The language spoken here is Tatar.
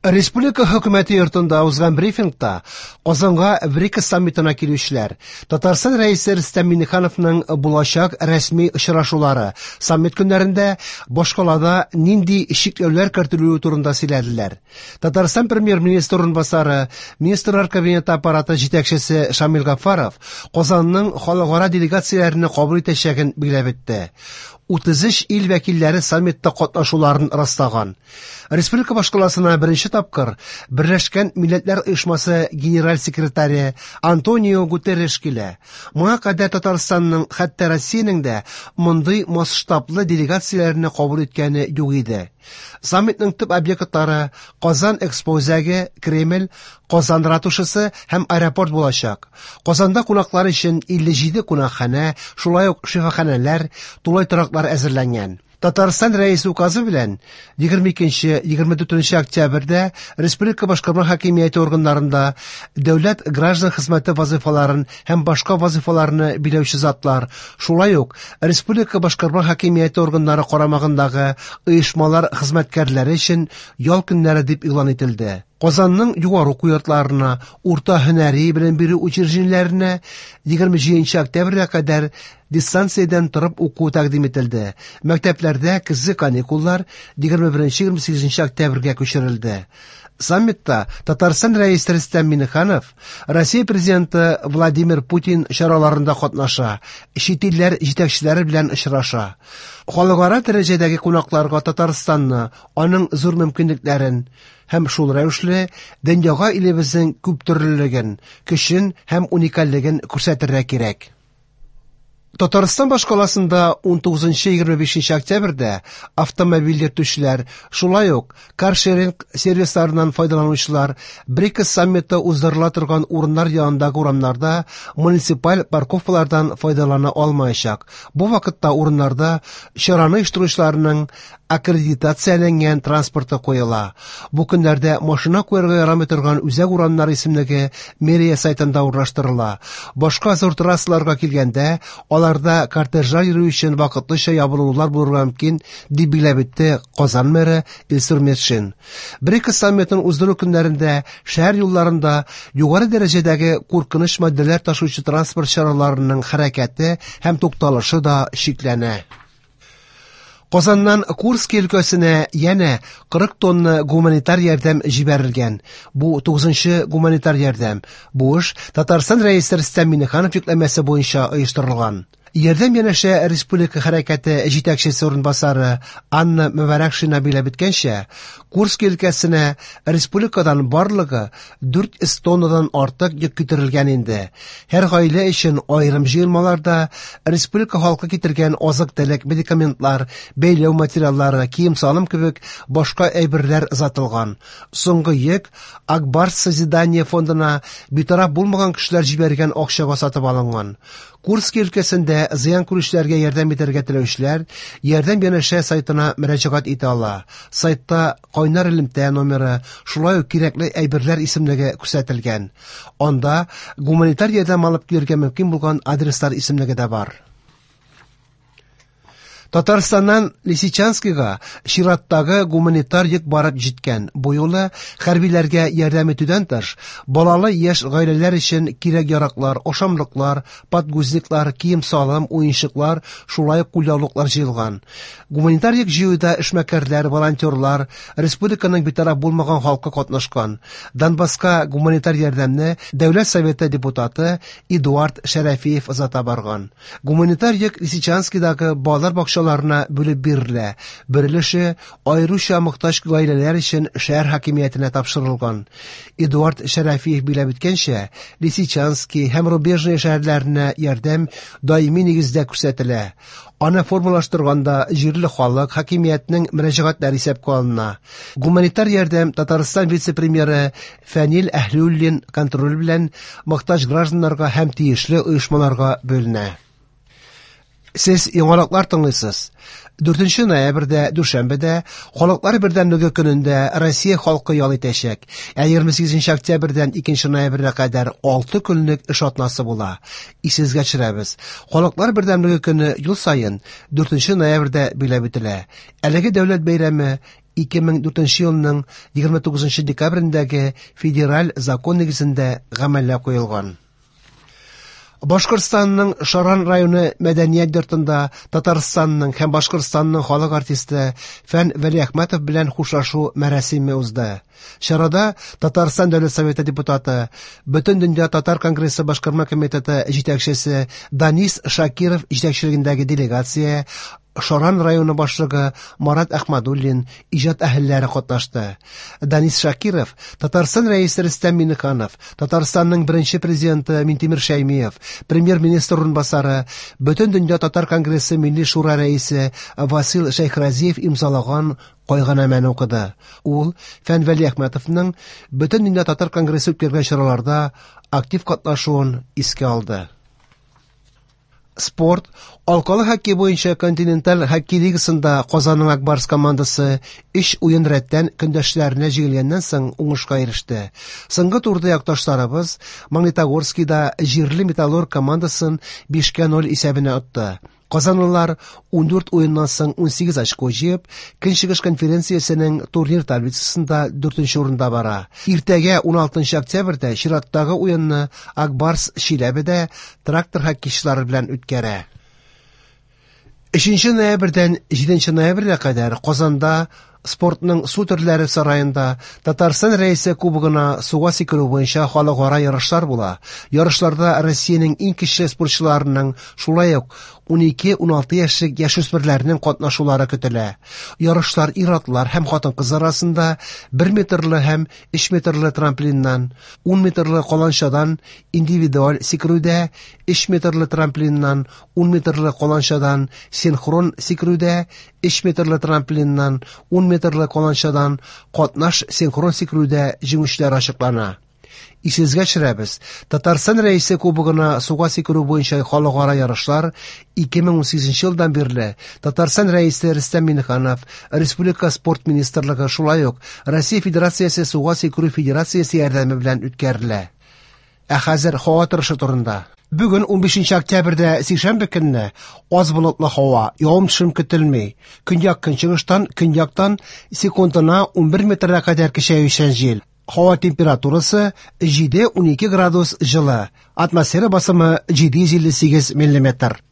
Республика хөкүмәте йортында узган брифингта Казанга БРИКС саммитына килүчеләр, Татарстан Рәисе Рөстәм Миңнехановның булачак рәсми очрашулары, саммит көннәрендә башкалада нинди чикләүләр кертелүе турында сөйләделәр. Татарстан Премьер-министры урынбасары, Министрлар Кабинеты аппараты җитәкчесе Шамил Гафаров Казанның халыкара делегацияләрне кабул итәчәген билгеләп үтте. 33 ил вәкилләре саммитта катнашуларын раслаган. Республика башкаласына беренче тапкыр Берләшкән Милләтләр Оешмасы генераль секретаре Антонио Гутерреш килә. Моңа кадәр Татарстанның, хәтта Россиянең дә мондый масштаблы делегацияләрне кабул иткәне юк иде. Саммитның төп объектлары Казан Экспо үзәге, Кремль, Казан ратушасы һәм аэропорт булачак. Казанда кунаклар өчен 57 кунакханә, шулай ук шифаханәләр, тулай тораклар әзерләнгән. Татарстан Рәисе указы белән 22-24 октябрьдә республика башкарма хакимияте органнарында дәүләт граждан хезмәте вазыйфаларын һәм башка вазыйфаларны биләүче затлар, шулай ук республика башкарма хакимияте органнары карамагындагы оешмалар хезмәткәрләре өчен ял көннәре дип игълан ителде. Казанның югары уку йортларына, урта һөнәри белем бирү учреждениеләренә 27 октябрьгә кадәр дистанциядән торып уку тәкъдим ителде. Мәктәпләрдә көзге каникуллар 21-28 октябрьгә күчерелде. Саммитта Татарстан Рәисе Рөстәм Миңнеханов Россия Президенты Владимир Путин чараларында катнаша, чит илләр җитәкчеләре белән очраша. Халыкара дәрәҗәдәге кунакларга Татарстанны, аның зур мөмкинлекләрен һәм шул рәвешле дөньяга илебезнең күптөрлелеген, көчен һәм уникальлеген күрсәтергә кирәк. Татарстан башкаласында 19-25 октябрьдә автомобиль йөртүчеләр, шулай ук каршеринг сервисларыннан файдаланучылар БРИКС саммиты уздырыла торган урыннар янындагы урамнарда муниципаль парковкалардан файдалана алмаячак. Бу вакытта урыннарда чараны оештыручыларның аккредитацияләнгән транспорты куела. Бу көннәрдә машина куярга ярамый торган үзәк урамнар исемлеге мэрия сайтында урнаштырыла. Башка зур трассаларга килгәндә, аларда кортежлар йөрү өчен вакытлыча ябылулар булырга мөмкин, дип билгеләп үтте Казан мэры Илсур Метшин. БРИКС саммитын уздыру көннәрендә шәһәр юлларында югары дәрәҗәдәге куркыныч матдәләр ташучы транспорт чараларының хәрәкәте һәм тукталышы да чикләнә. Казаннан Курски өлкәсенә янә 40 тонна гуманитар ярдәм җибәрелгән. Бу 9нчы гуманитар ярдәм. Бу эш Татарстан Рәисе Рөстәм Миңнеханов йөкләмәсе буенча оештырылган. Ярдәм янәшә республика хәрәкәте җитәкчесе урынбасары Анна Мөбарәкшина билгеләп үткәнчә, Курски өлкәсенә республикадан барлыгы 400 тоннадан артык йөк китерелгән инде. Һәр гаилә өчен аерым җыелмаларда республика халкы китергән азык-төлек, медикаментлар, бәйләү материаллары, кием-салым кебек башка әйберләр озатылган. Соңгы йөк Акбарс созидание фондына битараф булмаган кешеләр җибәргән акчага сатып алынган. Курски өлкәсендә зыян күрүчеләргә ярдәм итәргә теләүчеләр Ярдәм янәшә сайтына мөрәҗәгать итә ала. Сайтта кайнар элемтә номеры, шулай ук кирәкле әйберләр исемлеге күрсәтелгән. Анда гуманитар ярдәм алып килергә мөмкин булган адреслар исемлеге дә бар. Татарстаннан Лисичанскига чираттагы гуманитар йөк барып җиткән. Бу юлы хәрбиләргә ярдәм итүдән тыш, балалы яшь гаиләләр өчен кирәк-яраклар, ашамлыклар, подгузниклар, кием-салым, уенчыклар, шулай ук кулъяулыклар җыелган. Гуманитар йөк җыюда эшмәкәрләр, волонтерлар, республиканың битараф булмаган халкы катнашкан. Донбасска гуманитар ярдәмне Дәүләт Советы депутаты Эдуард Шәрәфиев озата барган. Гуманитар йөк Лисичанскидагы балалар бакчаларына бүлеп бирелә. Бер өлеше аеруча мохтаҗ гаиләләр өчен шәһәр хакимиятенә тапшырылган. Эдуард Шәрәфиев билгеләп үткәнчә, Лисичански һәм Рубежное шәһәрләренә ярдәм даими нигездә күрсәтелә. Аны формалаштырганда җирле халык, хакимиятнең мөрәҗәгатьләре исәпкә алына. Гуманитар ярдәм Татарстан вице-премьеры Фәнил Әһлиуллин контроле белән мохтаҗ гражданнарга һәм тиешле оешмаларга бүленә. Сез яңалыклар тыңлыйсыз. 4 ноябрьдә, дүшәмбедә, Халыклар бердәмлеге көнендә Россия халкы ял итәчәк. Ә 28 октябрьдән 2 ноябрьгә кадәр 6 көнлек эш атнасы була. Исегезгә төшерәбез. Халыклар бердәмлеге көне ел саен 4 ноябрьдә билгеләп үтелә. Әлеге дәүләт бәйрәме 2004 елның 29 декабрендәге федераль закон нигезендә гамәлгә куелган. Башкортстанның Шаран районы мәдәният йортында Татарстанның һәм Башкортстанның халык артисты Фән Вәлиәхмәтов белән хушлашу мәрасиме узды. Чарада Татарстан Дәүләт Советы депутаты, Бөтендөнья татар конгрессы башкарма комитеты җитәкчесе Данис Шакиров җитәкчелегендәге делегация, Шаран районы башлыгы Марат Әхмәдуллин, иҗат әһелләре катнашты. Данис Шакиров, Татарстан Рәисе Рөстәм Миңнеханов, Татарстанның беренче президенты Минтимер Шәймиев, премьер-министр урынбасары, Бөтендөнья татар конгрессы Милли шура рәисе Васил Шәйхразиев имзалаган кайгынамәне укыды. Ул Фән Вәлиәхмәтовның Бөтендөнья татар конгрессы үткәргән чараларда актив катнашуын искә алды. Спорт, алкалы хоккей буенча континенталь хоккей лигасында Казанның Ак Барс командасы өч уен рәттән көндәшләренә җиңелгәннән соң уңышка иреште. Соңгы турда якташларыбыз Магнитогорскийда җирле Металлург командасын 5-0 исәбенә отты. Казанлылар 14 уеннан соң 18 очко җыеп, Көнчыгыш конференциясенең турнир таблицасында 4 урында бара. Иртәгә 16 октябрьдә чираттагы уенны Ак Барс Чиләбедә Трактор хоккейчылары белән үткәрә. 3 ноябрьдән 7 ноябрьгә кадәр Казанда спортның су төрләре сараенда Татарстан Рәисе кубогына суга сикерү буенча халыкара ярышлар була. Ярышларда Россиянең иң көчле спортчыларының, шулай ук 12-16 яшьлек яшүсмерләрнең катнашулары көтелә. Ярышлар ир-атлар һәм хатын-кызлар арасында 1 метрлы һәм 3 метрлы трамплиннан, 10 метрлы каланчадан индивидуаль сикерүдә, 3 метрлы трамплиннан, 10 метрлы каланчадан синхрон сикерүдә, 3 метрлы трамплиннан, 10 метрлы каланчадан катнаш синхрон сикерүдә җиңүчеләр ачыклана. Исегезгә төшерәбез, Татарстан Рәисе кубогына суга сикерү буенча халыкара ярышлар 2018 елдан бирле Татарстан Рәисе Рөстәм Миңнеханов, Республика спорт министрлыгы, шулай ук Россия Федерациясе суга сикерү федерациясе ярдәме белән үткәрелә. Ә хәзер һава торышы турында. Бүген 15 октябрьдә сишәмбе көнне аз болытлы һава, явым-төшем көтелми. Көньяк-көнчыгыштан, көньяктан секундына 11 метрга кадәр көчәючән җил. Һава температурасы 7-12 градус җылы. Атмосфера басымы 758 миллиметр.